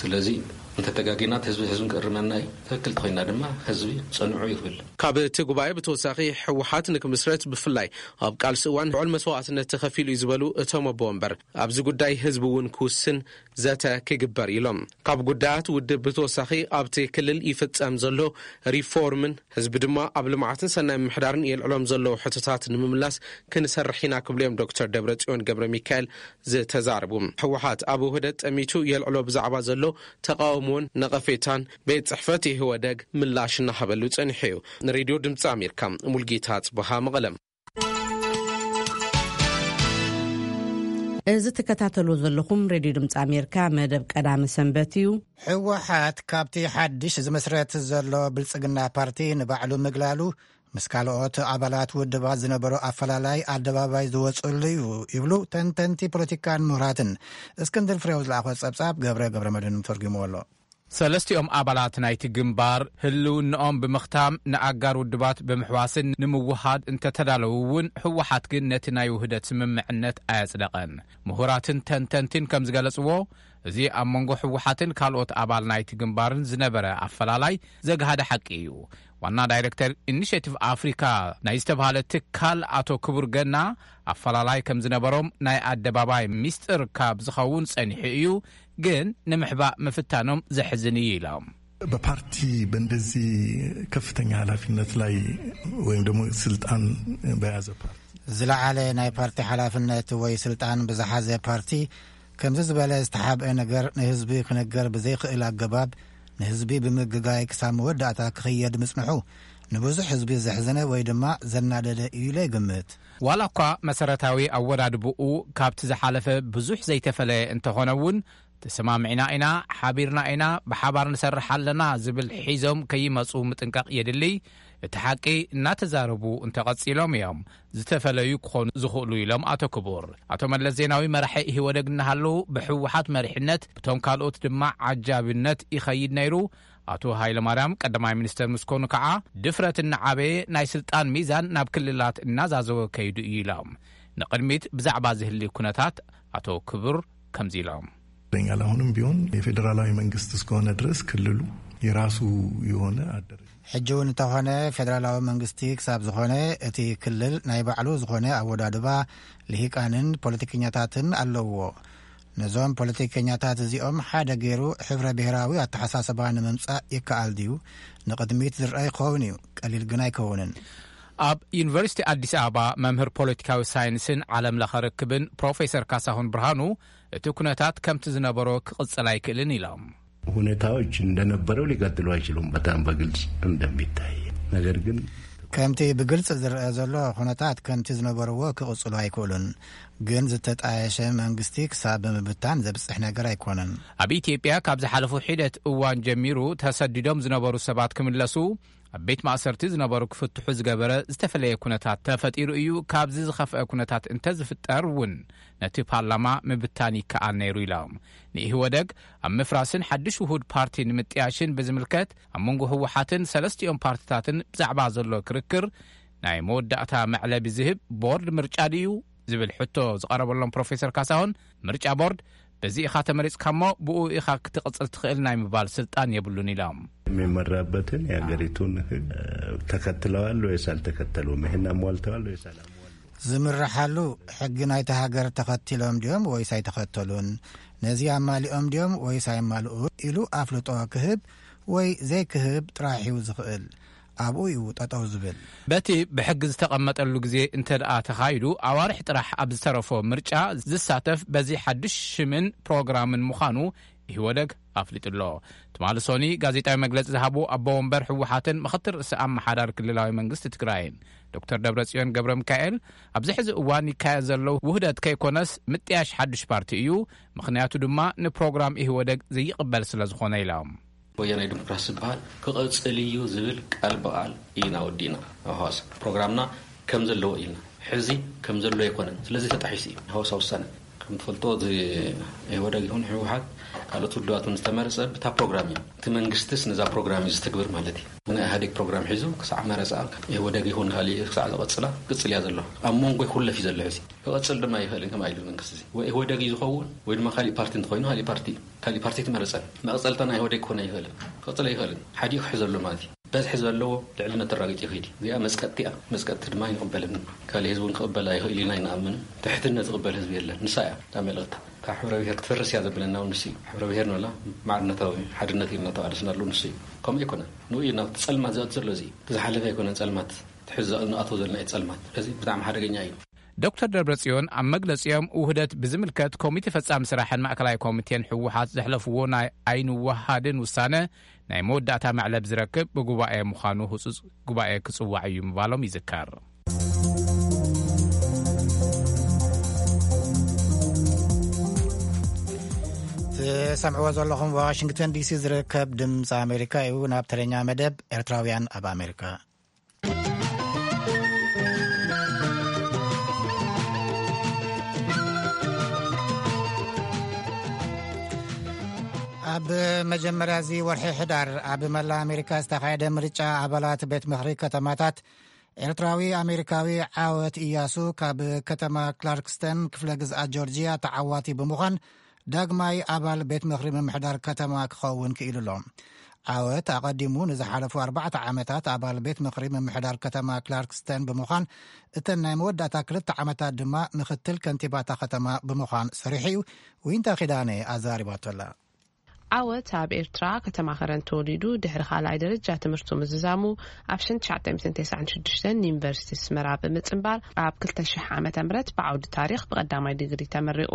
ስለዚ እንተተጋጊና ህዝቢ ህዝቢ ክእርመና እዩ። ትክክል ተኾይና ድማ ህዝቢ ጸንዑ ይኽብል። ካብ እቲ ጉባኤ ብተወሳኺ ህወሓት ንክምስረት ብፍላይ ኣብ ቃልሲ እዋን ልዑል መስዋዕትነት ተኸፊሉ እዩ ዝበሉ እቶም ኣቦ ወንበር፣ ኣብዚ ጉዳይ ህዝቢ እውን ክውስን ዘተ ክግበር ኢሎም። ካብ ጉዳያት ውድብ ብተወሳኺ ኣብቲ ክልል ይፍጸም ዘሎ ሪፎርምን ህዝቢ ድማ ኣብ ልምዓትን ሰናይ ምምሕዳርን የልዕሎም ዘለዉ ሕቶታት ንምምላስ ክንሰርሕ ኢና ክብሉ እዮም ዶክተር ደብረጽዮን ገብረ ሚካኤል ዝተዛረቡ። ህወሓት ኣብ ውህደት ጠሚቱ የልዕሎ ብዛዕባ ዘሎ ተቃውሞን ነቐፌታን ቤት ጽሕፈት ኢህወደግ ምላሽ እናሃበሉ ጸኒሑ እዩ። ንሬድዮ ድምፂ ኣሜሪካ ሙልጌታ ጽበሃ መቐለም። እዚ ትከታተሉ ዘለኹም ሬድዮ ድምፂ ኣሜሪካ መደብ ቀዳመ ሰንበት እዩ። ህወሓት ካብቲ ሓድሽ ዝምስረት ዘሎ ብልጽግና ፓርቲ ንባዕሉ ምግላሉ ምስ ካልኦት ኣባላት ውድባት ዝነበሮ ኣፈላላይ ኣደባባይ ዝወፅሉ እዩ ይብሉ ተንተንቲ ፖለቲካን ምሁራትን። እስክንድር ፍሬው ዝለኣኾ ጸብጻብ ገብረ ገብረ መድህን ተርጉምዎ ኣሎ። ሰለስቲኦም ኣባላት ናይቲ ግንባር ህልውንኦም ብምኽታም ንኣጋር ውድባት ብምሕዋስን ንምውሃድ እንተተዳለዉ እውን ህወሓት ግን ነቲ ናይ ውህደት ስምምዕነት ኣየጽደቐን። ምሁራትን ተንተንትን ከም ዝገለጽዎ፣ እዚ ኣብ መንጎ ህወሓትን ካልኦት ኣባል ናይቲ ግንባርን ዝነበረ ኣፈላላይ ዘግሃደ ሓቂ እዩ። ዋና ዳይሬክተር ኢኒሼቲቭ ኣፍሪካ ናይ ዝተባሃለ ትካል ኣቶ ክቡር ገና፣ ኣፈላላይ ከም ዝነበሮም ናይ ኣደባባይ ሚስጥር ካብ ዝኸውን ጸኒሑ እዩ፣ ግን ንምሕባእ ምፍታኖም ዘሕዝን እዩ ኢሎም። በፓርቲ በእንደዚህ ከፍተኛ ኃላፊነት ላይ ወይም ደግሞ ስልጣን በያዘ ፓርቲ ዝለዓለ ናይ ፓርቲ ሓላፍነት ወይ ስልጣን ብዝሓዘ ፓርቲ ከምዚ ዝበለ ዝተሓብአ ነገር ንህዝቢ ክነገር ብዘይክእል ኣገባብ ንህዝቢ ብምግጋይ ክሳብ መወዳእታ ክኽየድ ምጽንሑ ንብዙሕ ህዝቢ ዘሕዘነ ወይ ድማ ዘናደደ እዩ ኢለ ይግምት። ዋላ እኳ መሰረታዊ ኣወዳድብኡ ካብቲ ዝሓለፈ ብዙሕ ዘይተፈለየ እንተኾነ እውን፣ ተሰማሚዕና ኢና፣ ሓቢርና ኢና፣ ብሓባር ንሰርሕ ኣለና ዝብል ሒዞም ከይመጹ ምጥንቃቕ የድሊ። እቲ ሓቂ እናተዛረቡ እንተቐጺሎም እዮም ዝተፈለዩ ክኾኑ ዝኽእሉ ኢሎም ኣቶ ክቡር። ኣቶ መለስ ዜናዊ መራሒ ኢህወደግ እናሃለዉ ብህወሓት መሪሕነት ብቶም ካልኦት ድማ ዓጃብነት ይኸይድ ነይሩ። ኣቶ ሃይለማርያም ቀዳማይ ሚኒስተር ምስ ኮኑ ከዓ ድፍረት እናዓበየ ናይ ስልጣን ሚዛን ናብ ክልላት እናዛዘወ ከይዱ እዩ ኢሎም። ንቕድሚት ብዛዕባ ዝህሊ ኩነታት ኣቶ ክቡር ከምዚ ኢሎም። ይገኛል። አሁንም ቢሆን የፌዴራላዊ መንግስት እስከሆነ ድረስ ክልሉ የራሱ የሆነ አደረጃጀት ሕጂ እውን እንተኾነ ፌደራላዊ መንግስቲ ክሳብ ዝኾነ እቲ ክልል ናይ ባዕሉ ዝኾነ ኣወዳድባ ልሂቃንን ፖለቲከኛታትን ኣለውዎ። ነዞም ፖለቲከኛታት እዚኦም ሓደ ገይሩ ሕብረ ብሔራዊ ኣተሓሳስባ ንምምጻእ ይከኣል ድዩ? ንቕድሚት ዝረአ ይኸውን እዩ፣ ቀሊል ግን ኣይከውንን። ኣብ ዩኒቨርሲቲ ኣዲስ ኣበባ መምህር ፖለቲካዊ ሳይንስን ዓለም ለኸ ርክብን ፕሮፌሰር ካሳሁን ብርሃኑ፣ እቲ ኩነታት ከምቲ ዝነበሮ ክቕጽል ኣይክእልን ኢሎም። ሁኔታዎች እንደነበረው ሊቀጥሉ አይችሉም፣ በጣም በግልጽ እንደሚታይ። ነገር ግን ከምቲ ብግልጽ ዝረአ ዘሎ ኩነታት ከምቲ ዝነበርዎ ክቕጽሉ ኣይክእሉን። ግን ዝተጣየሸ መንግስቲ ክሳብ ብምብታን ዘብጽሕ ነገር ኣይኮነን። ኣብ ኢትዮጵያ ካብ ዝሓለፉ ሒደት እዋን ጀሚሩ ተሰዲዶም ዝነበሩ ሰባት ክምለሱ፣ ኣብ ቤት ማእሰርቲ ዝነበሩ ክፍትሑ ዝገበረ ዝተፈለየ ኩነታት ተፈጢሩ እዩ። ካብዚ ዝኸፍአ ኩነታት እንተዝፍጠር እውን ነቲ ፓርላማ ምብታን ይከኣል ነይሩ ኢሎም። ንኢህወደግ ኣብ ምፍራስን ሓድሽ ውሁድ ፓርቲ ንምጥያሽን ብዝምልከት ኣብ መንጎ ህወሓትን ሰለስቲኦም ፓርትታትን ብዛዕባ ዘሎ ክርክር ናይ መወዳእታ መዕለቢ ዝህብ ቦርድ ምርጫ ድዩ ዝብል ሕቶ ዝቐረበሎም ፕሮፌሰር ካሳሁን፣ ምርጫ ቦርድ በዚ ኢኻ ተመሪጽካ እሞ ብኡ ኢኻ ክትቕጽል ትኽእል ናይ ምባል ስልጣን የብሉን ኢሎም። የሚመራበትን የሀገሪቱን ህግ ተከትለዋል ወይስ አልተከተሉም? ይህን አሟልተዋል ወይስ አላሟሉም? ዝምርሓሉ ሕጊ ናይቲ ሃገር ተኸቲሎም ድዮም ወይስ ኣይተኸተሉን? ነዚ ኣማሊኦም ድዮም ወይስ ኣይማልኡ ኢሉ ኣፍልጦ ክህብ ወይ ዘይክህብ ጥራሕ እዩ ዝኽእል። ኣብኡ እዩ ጠጠው ዝብል። በቲ ብሕጊ ዝተቐመጠሉ ግዜ እንተ ደኣ ተኻይዱ፣ ኣዋርሕ ጥራሕ ኣብ ዝተረፎ ምርጫ ዝሳተፍ በዚ ሓድሽ ሽምን ፕሮግራምን ምዃኑ ኢህወደግ ኣፍሊጡ ኣሎ። ትማሊ ሶኒ ጋዜጣዊ መግለጺ ዝሃቡ ኣቦ ወንበር ህወሓትን ምኽትል ርእሰ ኣመሓዳሪ ክልላዊ መንግስቲ ትግራይን ዶክተር ደብረጽዮን ገብረ ሚካኤል፣ ኣብዚ ሕዚ እዋን ይካየድ ዘሎ ውህደት ከይኮነስ ምጥያሽ ሓድሽ ፓርቲ እዩ፣ ምኽንያቱ ድማ ንፕሮግራም ኢህወደግ ዘይቕበል ስለ ዝኾነ ኢሎም። ወያናይ ዲሞክራሲ ዝበሃል ክቕጽል እዩ ዝብል ቃል ብቓል ኢና ወዲእና። ኣብ ሃዋሳ ፕሮግራምና ከም ዘለዎ ኢልና፣ ሕዚ ከም ዘሎ ኣይኮነን። ስለዚ ተጣሒሱ እዩ ሃዋሳ ውሳነ። ከም ትፈልጦ፣ እዚ ኢህወደግ ይኹን ህወሓት ካልኦት ውድባት እውን ዝተመረጸ ብታ ፕሮግራም እዩ። እቲ መንግስትስ ነዛ ፕሮግራም እዩ ዝትግብር ማለት እዩ። ናይ ኢህወደግ ፕሮግራም ሒዙ ክሳዕ መረጻ ኢህወደግ ይኹን ካልእ ክሳዕ ዝቐጽላ ክቅጽል እያ ዘሎ። ኣብ መንጎ ይኹለፍ እዩ ዘሎ ሕዚ። ክቐጽል ድማ ይኽእልን ከም ኢሉ መንግስቲ እዚ ወይ ኢህወደግ እዩ ዝኸውን ወይ ድማ ካሊእ ፓርቲ እንተኾይኑ ካሊእ ፓርቲ እዩ። ካሊእ ፓርቲ ኣይትመረጸን። መቐጸልታ ናይ ኢህወዴግ ክኾን ኣይኽእልን። ክቕጽል ኣይኽእልን። ሓዲኡ ክሕዘሉ ማለት እዩ። በዝሒ ዘለዎ ልዕልነት ተራጊጡ ይኸይድ እዩ። እዚኣ መጽቀጥቲ እያ። መጽቀጥቲ ድማ ኣይንቕበልን። ካልእ ህዝቢ እውን ክቕበላ ኣይኽእል ኢልና ኣይንኣምንን። ትሕትነት ዝቕበል ህዝቢ የለን። ንሳ እያ እታ መልእኽታ። ካብ ሕብረ ብሔር ክትፈርስ እያ ዘብለና እውን ንሱ እዩ። ሕብረ ብሔር ንበላ ማዕርነታዊ ሓድነት ኢልና ተቓለስናሉ ንሱ እዩ። ከምኡ ኣይኮነን። ንኡ እዩ ናብቲ ጸልማት ዘእቱ ዘሎ እዚ እዩ። እቲ ዝሓለፈ ኣይኮነን ጸልማት። እቲ ሕዚ ንኣትዎ ዘለና እዩ ጸልማት። እዚ ብጣዕሚ ሓደገኛ እዩ። ዶክተር ደብረጽዮን ኣብ መግለጺኦም ውህደት ብዝምልከት ኮሚቴ ፈጻሚ ስራሕን ማእከላይ ኮሚቴን ህወሓት ዘሕለፍዎ ናይ ኣይንወሃድን ውሳነ ናይ መወዳእታ መዕለብ ዝረክብ ብጉባኤ ምዃኑ ህጹጽ ጉባኤ ክጽዋዕ እዩ ምባሎም ይዝከር። ሰምዕዎ ዘለኹም ዋሽንግተን ዲሲ ዝርከብ ድምፂ ኣሜሪካ እዩ። ናብ ተረኛ መደብ ኤርትራውያን ኣብ ኣሜሪካ። ኣብ መጀመርያ እዚ ወርሒ ሕዳር ኣብ መላ ኣሜሪካ ዝተኻየደ ምርጫ ኣባላት ቤት ምኽሪ ከተማታት ኤርትራዊ ኣሜሪካዊ ዓወት እያሱ ካብ ከተማ ክላርክስተን ክፍለ ግዝኣት ጆርጂያ ተዓዋቲ ብምዃን ዳግማይ ኣባል ቤት ምኽሪ ምምሕዳር ከተማ ክኸውን ክኢሉ ኣሎ። ዓወት ኣቐዲሙ ንዝሓለፉ ኣርባዕተ ዓመታት ኣባል ቤት ምኽሪ ምምሕዳር ከተማ ክላርክስተን ብምዃን እተን ናይ መወዳእታ ክልተ ዓመታት ድማ ምኽትል ከንቲባታ ከተማ ብምዃን ሰሪሑ እዩ። ዊንታ ኪዳነ ኣዛሪባቶ ኣላ። ዓወት ኣብ ኤርትራ ከተማ ከረን ተወሊዱ ድሕሪ ካልኣይ ደረጃ ትምህርቱ ምዝዛሙ ኣብ ሽሕን ትሽዓተ ሚእትን ተስዓን ሽዱሽተን ዩኒቨርሲቲ ኣስመራ ብምጽንባር ኣብ ክልተ ሽሕ ዓመተ ምህረት ብዓውዲ ታሪኽ ብቐዳማይ ዲግሪ ተመሪቑ።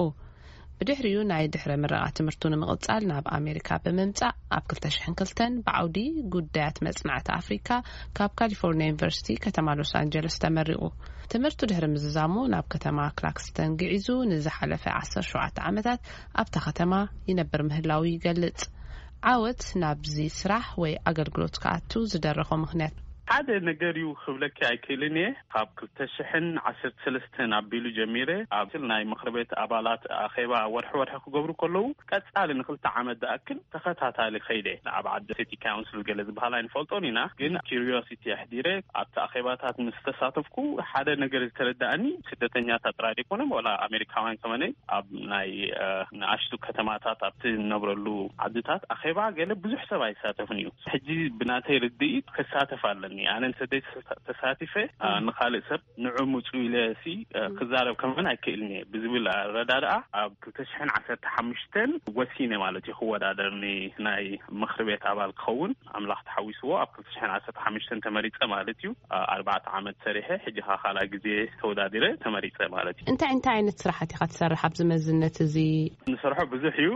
ብድሕሪኡ ናይ ድሕረ ምረቓ ትምህርቱ ንምቕጻል ናብ ኣሜሪካ ብምምጻእ ኣብ ክልተ ሽሕን ክልተን ብዓውዲ ጉዳያት መጽናዕቲ ኣፍሪካ ካብ ካሊፎርኒያ ዩኒቨርሲቲ ከተማ ሎስ ኣንጀለስ ተመሪቑ። ትምህርቱ ድሕሪ ምዝዛሙ ናብ ከተማ ክላክስተን ግዒዙ ንዝሓለፈ ዓሰርተ ሸውዓተ ዓመታት ኣብታ ከተማ ይነብር ምህላዉ ይገልጽ። ዓወት ናብዚ ስራሕ ወይ ኣገልግሎት ክኣቱ ዝደረኾ ምኽንያት ሓደ ነገር እዩ ክብለኪ ኣይክእልን እየ። ካብ ክልተ ሽሕን ዓሰርተ ሰለስተን ኣቢሉ ጀሚረ ኣብ ናይ ምኽሪ ቤት ኣባላት ኣኼባ ወርሒ ወርሒ ክገብሩ ከለዉ ቀጻሊ ንክልተ ዓመት ዝኣክል ተኸታታሊ ኸይደ። ኣብ ዓዲ ሲቲ ካውንስል ገለ ዝበሃል ኣይንፈልጦን ኢና፣ ግን ኪሪዮሲቲ ኣሕዲረ ኣብቲ ኣኼባታት ምስ ተሳተፍኩ ሓደ ነገር ዝተረዳእኒ ስደተኛታት ጥራይ ዘይኮነ ዋላ ኣሜሪካውያን ከመነ ኣብ ናይ ንኣሽቱ ከተማታት ኣብቲ ንነብረሉ ዓድታት ኣኼባ ገለ ብዙሕ ሰብ ኣይሳተፍን እዩ። ሕጂ ብናተይ ርድኢት ክሳተፍ ኣለኒ። ኣነ ንሰደይ ተሳቲፈ ንካልእ ሰብ ንዑ ምፁ ኢለ ሲ ክዛረብ ከመን ኣይክእልን እየ ብዝብል ኣረዳድኣ ኣብ ክልተ ሽሕን ዓሰርተ ሓሙሽተን ወሲነ ማለት እዩ ክወዳደር ናይ ምክሪ ቤት ኣባል ክኸውን ኣምላኽ ተሓዊስዎ ኣብ ክልተ ሽሕን ዓሰርተ ሓሙሽተን ተመሪፀ ማለት እዩ። ኣርባዕተ ዓመት ሰሪሐ ሕጂ ካ ካልኣይ ግዜ ተወዳዲረ ተመሪፀ ማለት እዩ። እንታይ እንታይ ዓይነት ስራሓት ኢኻ ትሰርሕ ኣብዚ መዝነት እዚ? ንሰርሖ ብዙሕ እዩ።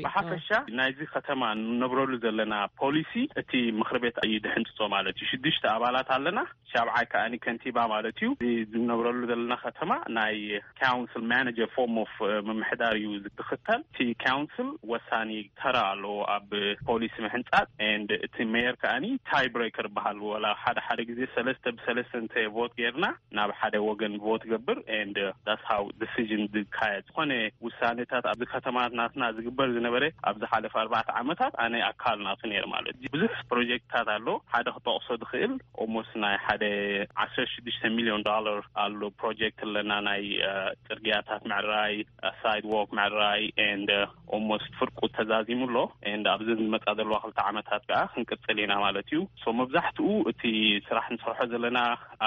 ብሓፈሻ ናይዚ ከተማ ንነብረሉ ዘለና ፖሊሲ እቲ ምክሪ ቤት እዩ ድሕንፅፆ ማለት እዩ። ሽዱሽተ ኣባላት ኣለና። ሻብዓይ ከኣኒ ከንቲባ ማለት እዩ። እዚ ዝነብረሉ ዘለና ከተማ ናይ ካውንስል ማናጀር ፎርም ኦፍ ምምሕዳር እዩ ዝክተል። እቲ ካውንስል ወሳኒ ተራ ኣለዎ ኣብ ፖሊሲ ምሕንፃፅ። And እቲ ሜየር ከኣኒ ታይ ብሬከር በሃል ወላ ሓደ ሓደ ግዜ ሰለስተ ብሰለስተ እንተ ቮት ጌርና ናብ ሓደ ወገን ቮት ገብር። And that's how decision ዝካየድ። ዝኾነ ውሳኔታት ኣብዚ ከተማ ናትና ዝግበር ዝነበረ ኣብ ዝሓለፈ ኣርባዕተ ዓመታት ኣነ ኣካል ናቱ ነይር ማለት እዩ። ብዙሕ ፕሮጀክትታት ኣሎ። ሓደ ክጠቕሶ ዝኽእል ኦሞስ ናይ ሓደ ዓሰርተ ሽዱሽተ ሚሊዮን ዶላር ኣሎ ፕሮጀክት ኣለና ናይ ጽርግያታት ምዕራይ፣ ሳይድዎክ ምዕራይ and ኦሞስት ፍርቁ ተዛዚሙ ኣሎ። And ኣብዚ ዝመጻ ዘለዋ ክልተ ዓመታት ከዓ ክንቅጽል ኢና ማለት እዩ። So መብዛሕትኡ እቲ ስራሕ ንሰርሖ ዘለና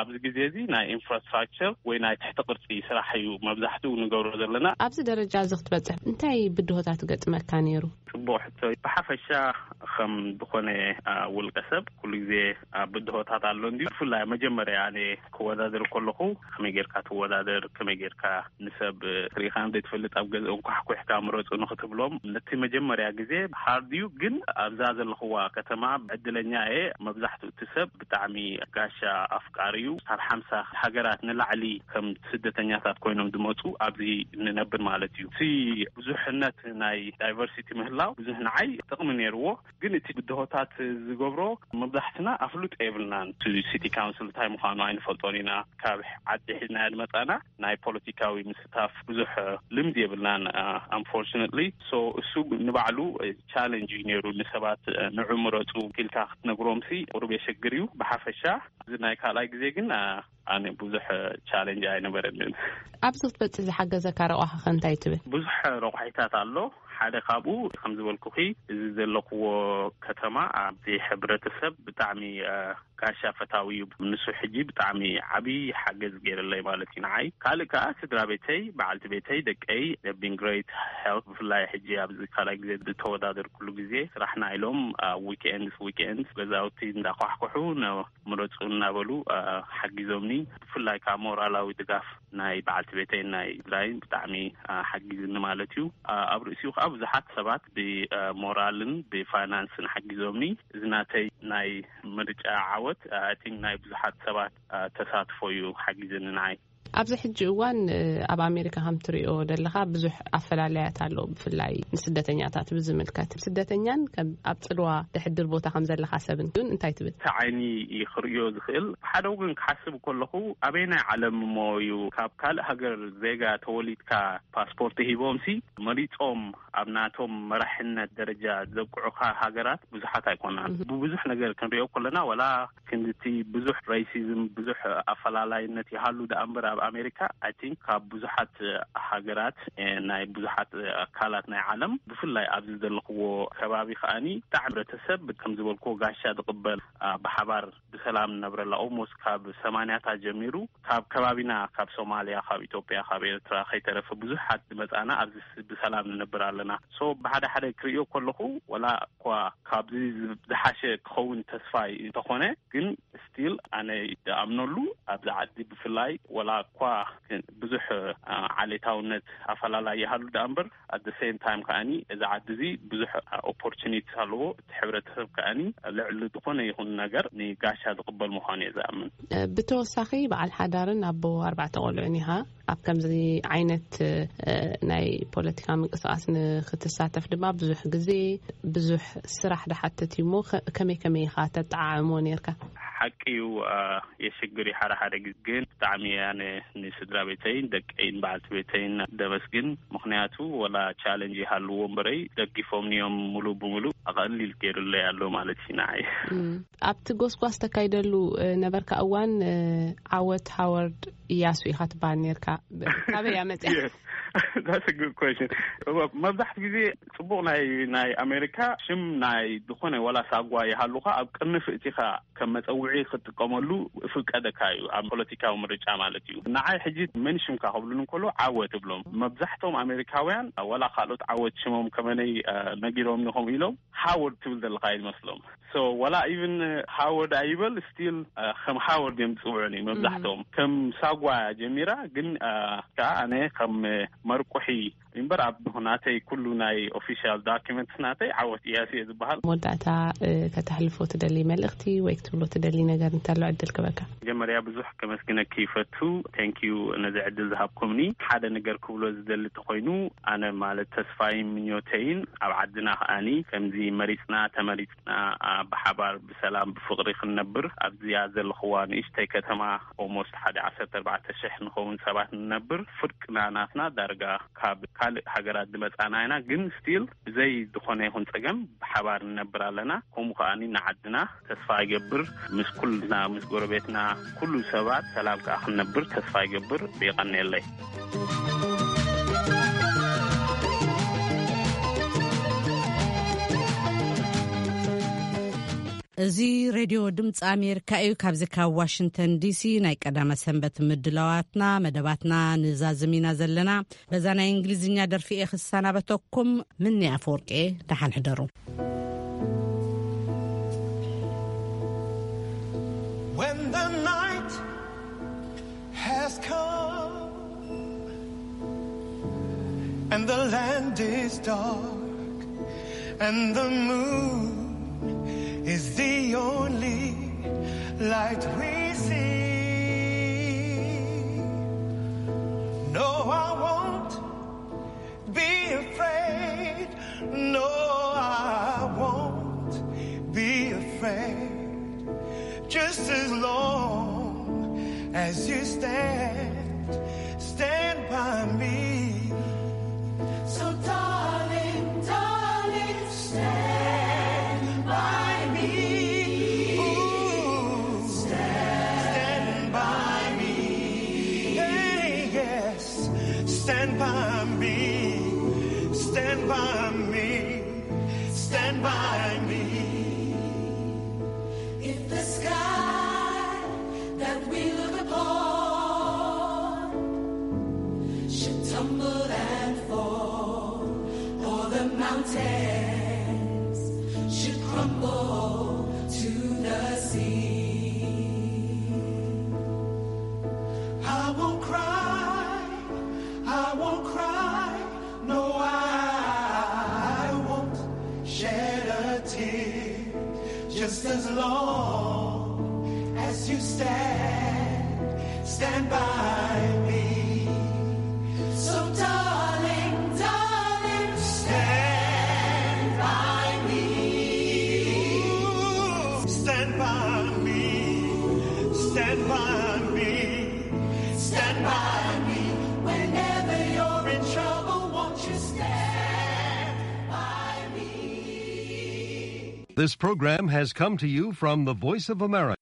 ኣብዚ ግዜ እዚ ናይ ኢንፍራስትራክቸር ወይ ናይ ትሕቲ ቅርጺ ስራሕ እዩ መብዛሕትኡ ንገብሮ ዘለና። ኣብዚ ደረጃ እዚ ክትበጽሕ እንታይ ብድሆታት ገጥመካ ነይሩ? ጽቡቕ ሕቶ። ብሓፈሻ ከም ዝኾነ ውልቀ ሰብ ኩሉ ግዜ ብድሆታት ኣሎ እንዲ። ብፍላይ መጀመርያ ኣነ ክወዳደር ከለኹ ከመይ ጌርካ ትወዳደር፣ ከመይ ጌርካ ንሰብ ርኢኻ ዘይትፈልጥ ኣብ ገዝኦም ኳሕኩሕካ ምረፁ ንክትብሎም ነቲ መጀመርያ ግዜ ሃርድ እዩ። ግን ኣብዛ ዘለኽዋ ከተማ ዕድለኛ እየ። መብዛሕትኡ እቲ ሰብ ብጣዕሚ ጋሻ ኣፍቃሪ እዩ። ካብ ሓምሳ ሃገራት ንላዕሊ ከም ስደተኛታት ኮይኖም ዝመፁ ኣብዚ ንነብር ማለት እዩ። እቲ ብዙሕነት ናይ ዳይቨርሲቲ ምህላው ብዙሕ ንዓይ ጥቕሚ ነይርዎ። ግን እቲ ብድሆታት ዝገብሮ መብዛሕትና ኣፍሉጦ የብልናን። እቲ ሲቲ ካውንስል እንታይ ምዃኑ ኣይንፈልጦን ኢና። ካብ ዓዲ ሒዝና ዝመፃና ናይ ፖለቲካዊ ምስታፍ ብዙሕ ልምድ የብልናን። ኣንፎርችነትሊ ሶ እሱ ንባዕሉ ቻለንጅ እዩ ነይሩ። ንሰባት ንዑ ምረፁ ኢልካ ክትነግሮምሲ ቁሩብ የሸግር እዩ። ብሓፈሻ እዚ ናይ ካልኣይ ግዜ ግን ኣነ ብዙሕ ቻለንጅ ኣይነበረንን። ኣብዚ ክትበጽሕ ዝሓገዘካ ረቋሒ ከ እንታይ ትብል? ብዙሕ ረቋሒታት ኣሎ። ሓደ ካብኡ ከም ዝበልኩኺ እዚ ዘለኽዎ ከተማ ኣብዚ ሕብረተሰብ ብጣዕሚ ጋሻ ፈታዊ እዩ። ንሱ ሕጂ ብጣዕሚ ዓብዪ ሓገዝ ገይርለይ ማለት እዩ ንዓይ። ካልእ ከዓ ስድራ ቤተይ፣ በዓልቲ ቤተይ፣ ደቀይ have been great help። ብፍላይ ሕጂ ኣብዚ ካልኣይ ግዜ ዝተወዳደርኩሉ ግዜ ስራሕና ኢሎም ዊክኤንድስ ዊክኤንድስ ገዛውቲ እንዳኳሕኩሑ ምረፁ እናበሉ ሓጊዞምኒ። ብፍላይ ከዓ ሞራላዊ ድጋፍ ናይ በዓልቲ ቤተይን ናይ ስድራይን ብጣዕሚ ሓጊዝኒ ማለት እዩ። ኣብ ርእሲኡ ከዓ ብዙሓት ሰባት ብሞራልን ብፋይናንስን ሓጊዞምኒ። እዚ ናተይ ናይ ምርጫ ዓወት ኣይ ቲንክ ናይ ብዙሓት ሰባት ተሳትፎ እዩ ሓጊዝኒ ንዓይ። ኣብዚ ሕጂ እዋን፣ እ፣ ኣብ ኣሜሪካ ከም ትሪኦ ዘለኻ ብዙሕ ኣፈላለያት ኣሎ፣ ብፍላይ ንስደተኛታት ብዝምልከት። ስደተኛን ከም ኣብ ጽልዋ ደሕድር ቦታ ከም ዘለኻ ሰብን ግን እንታይ ትብል? እቲ ዓይኒ እዩ ክርእዮ ዝኽእል። ብሓደ ወገን ክሓስብ ከለኹ፣ ኣበየናይ ዓለም እሞ እዩ ካብ ካልእ ሃገር ዜጋ ተወሊድካ ፓስፖርት ሂቦምሲ መሪጾም ኣብ ናቶም መራሕነት ደረጃ ዘብቅዑኻ ሃገራት ብዙሓት ኣይኮናን። እህ። ብብዙሕ ነገር ክንሪኦ ከለና፣ ወላ ክንድቲ ብዙሕ ሬሲዝም፣ ብዙሕ ኣፈላላይነት ይሃሉ ደኣ እምበር፣ ኣብ ኣሜሪካ፣ I think፣ ካብ ብዙሓት ሃገራት፣ እ፣ ናይ ብዙሓት ኣካላት ናይ ዓለም፣ ብፍላይ ኣብዚ ዘለኽዎ ከባቢ ከኣኒ፣ ብጣዕሚ ሕብረተሰብ፣ ከም ዝበልክዎ፣ ጋሻ ዝቕበል፣ ኣ፣ ብሓባር ብሰላም ንነብረላ። ኦልሞስት ካብ ሰማንያታት ጀሚሩ፣ ካብ ከባቢና፣ ካብ ሶማልያ፣ ካብ ኢትዮጵያ፣ ካብ ኤርትራ ከይተረፈ ብዙሓት ዝመጻና ኣብዚ ስ-፣ ብሰላም ንነብር ኣለና። ሶ፣ ብሓደ ሓደ ክርእዮ ከለኹ፣ ወላ እኳ ካብዚ ዝ-፣ ዝሓሸ ክኸውን ተስፋ እንተኾነ፣ ግን ስቲል ኣነ ዝኣምነሉ ኣብዚ ዓዲ ብፍላይ፣ ወላ እኳ ብዙሕ፣ ኣ፣ ዓሌታውነት ኣፈላላይ ይሃሉ ደኣ እምበር፣ at the same time ከኣኒ፣ እዚ ዓዲ እዚ ብዙሕ ኦፖርቹኒቲ ኣለዎ። እቲ ሕብረተሰብ ከኣኒ ልዕሊ ዝኾነ ይኹን ነገር ንጋሻ ዝቕበል ምዃኑ እየ ዝኣምን። እ፣ ብተወሳኺ፣ በዓል ሓዳርን ኣቦ ኣርባዕተ ቆልዑን ኢኻ። ኣብ ከምዚ ዓይነት፣ እ፣ ናይ ፖለቲካ ምንቅስቃስ ንክትሳተፍ ድማ ብዙሕ ግዜ፣ ብዙሕ ስራሕ ድሓትት እዩ እሞ፣ ከ-፣ ከመይ ከመይ ኢኻ ተጠዓዕሞ ነርካ? ሓቂ እዩ፣ አ፣ የሽግር እዩ ሓደ ሓደ ግዜ፣ ግን ብጣዕሚ ኣነ ንስድራ ቤተይን ደቀይን በዓልቲ ቤተይን ደመስግን። ምኽንያቱ፣ ወላ ቻለንጅ ይሃልዎ እምበረይ፣ ደጊፎምኒ እዮም፣ ሙሉ ብሙሉ ኣቐሊል ገይሩለይ ኣሎ ማለት እዩ ንዓይ። እም፣ ኣብቲ ጎስጓስ ተካይደሉ፣ እ፣ ነበርካ እዋን፣ እ፣ ዓወት ሃዋርድ እያሱ ኢኻ ትበሃል ነርካ። ብ-፣ ካበይ እያ መጽያ? Yes. That's a good question. መብዛሕትኡ ግዜ ጽቡቕ ናይ፣ ናይ ኣሜሪካ ሽም ናይ ዝኾነ ዋላ ሳጓ ይሃሉኻ ኣብ ቅርንፍ እቲኻ ከም መጸውዒ ክትጥቀመሉ ፍቀደካ እዩ፣ ኣብ ፖለቲካዊ ምርጫ ማለት እዩ። ንዓይ ሕጂ መን ሽምካ ክብሉን እንከሎ ዓወት እብሎም። መብዛሕቶም ኣሜሪካውያን ዋላ ካልኦት ዓወት ሽሞም ከመነይ፣ አ፣ ነጊሮም ኢኹም ኢሎም ሃወርድ ትብል ዘለኻ ይመስሎም። ሶ ዋላ ኢቭን ሃወርድ ኣይበል ስቲል፣ አ፣ ከም ሃወርድ እዮም ዝጽውዑኒ መብዛሕቶም። ከም ሳጓ ጀሚራ ግን፣ አ፣ ከኣ ኣነ ከም መርቁሒ እምበር ኣብ ናተይ ኩሉ ናይ ኦፊሻል ዶኪመንትስ ናተይ ዓወት እያሱ እየ ዝበሃል። መወዳእታ፣ እ፣ ከተሕልፎ ትደሊ መልእኽቲ ወይ ክትብሎ ትደሊ ነገር እንተሎ ዕድል ክበካ። መጀመርያ ብዙሕ ከመስግነኪ ይፈቱ። ቴንክ ዩ ነዚ ዕድል ዝሃብኩምኒ። ሓደ ነገር ክብሎ ዝደሊ እንተኾይኑ ኣነ ማለት ተስፋይን ምኞተይን ኣብ ዓድና ከኣኒ ከምዚ መሪጽና ተመሪጽና፣ አ፣ ብሓባር ብሰላም ብፍቕሪ ክንነብር ኣብዚኣ ዘለኽዋ ንእሽተይ ከተማ ኦልሞስት ሓደ ዓሰርተ ኣርባዕተ ሽሕ ንኸውን ሰባት ንነብር። ፍርቅና ናትና ዳርጋ ካብ ካልእ ሃገራት ዝመጻና ኢና፣ ግን ስቲል ብዘይ ዝኾነ ይኹን ጸገም ብሓባር ንነብር ኣለና። ከምኡ ከኣኒ ንዓድና ተስፋ ይገብር፣ ምስ ኩልና፣ ምስ ጎረቤትና፣ ኩሉ ሰባት ሰላም ከኣ ክንነብር ተስፋ ይገብር። የቐንየለይ። እዚ ሬድዮ ድምፂ ኣሜሪካ እዩ። ካብዚ ካብ ዋሽንግተን ዲሲ ናይ ቀዳመ ሰንበት ምድላዋትና፣ መደባትና ንዛዝም ኢና ዘለና። በዛ ናይ እንግሊዝኛ ደርፊ እየ ክሰናበተኩም። ምኒ ኣፈወርቂ እየ። ደሓን ሕደሩ። When the night has come and the land is dark and the moon is the only light we see. No, I won't be afraid. No, I won't be afraid. Just as long as you stand, stand by me. So, darling, darling, stand by me. Ooh, stand by me. Hey, yes, stand by me. Stand by me. Stand by me. If the sky that we look upon should tumble and fall, or the mountains should crumble to the sea, I won't cry, I won't cry, no, I won't shed a tear. Just as long as you stand, Stand by me. So, darling, darling, stand by me. Stand by me. Stand by me. Stand by me. Whenever you're in trouble, won't you stand by me? This program has come to you from the Voice of America.